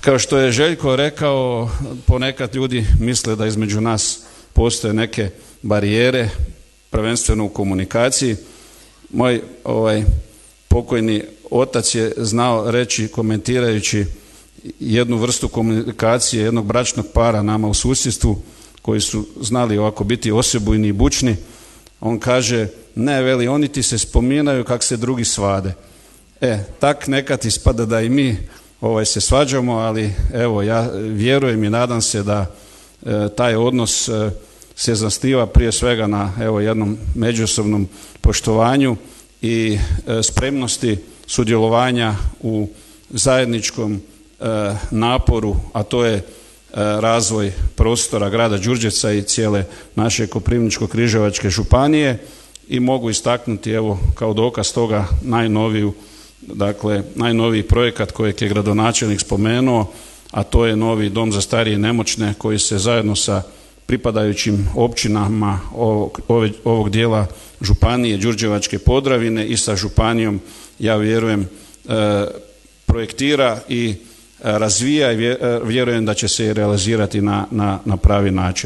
Kao što je Željko rekao, ponekad ljudi misle da između nas postoje neke barijere, prvenstveno u komunikaciji. Moj pokojni otac je znao reći, komentirajući jednu vrstu komunikacije jednog bračnog para nama u susjedstvu, koji su znali ovako biti osebujni i bučni. On kaže, ne, veli, oni ti se spominaju kak se drugi svade. Tak nekad ispada da i mi se svađamo, ali evo, ja vjerujem i nadam se da taj odnos se zasniva prije svega na jednom međusobnom poštovanju i spremnosti sudjelovanja u zajedničkom naporu, a to je razvoj prostora grada Đurđevca i cijele naše Koprivničko-križevačke županije. I mogu istaknuti kao dokaz toga najnoviji projekat kojeg je gradonačelnik spomenuo, a to je novi dom za starije i nemoćne koji se zajedno sa pripadajućim općinama ovog dijela županije Đurđevačke Podravine i sa županijom, ja vjerujem, projektira i razvija i vjerujem da će se i realizirati na pravi način.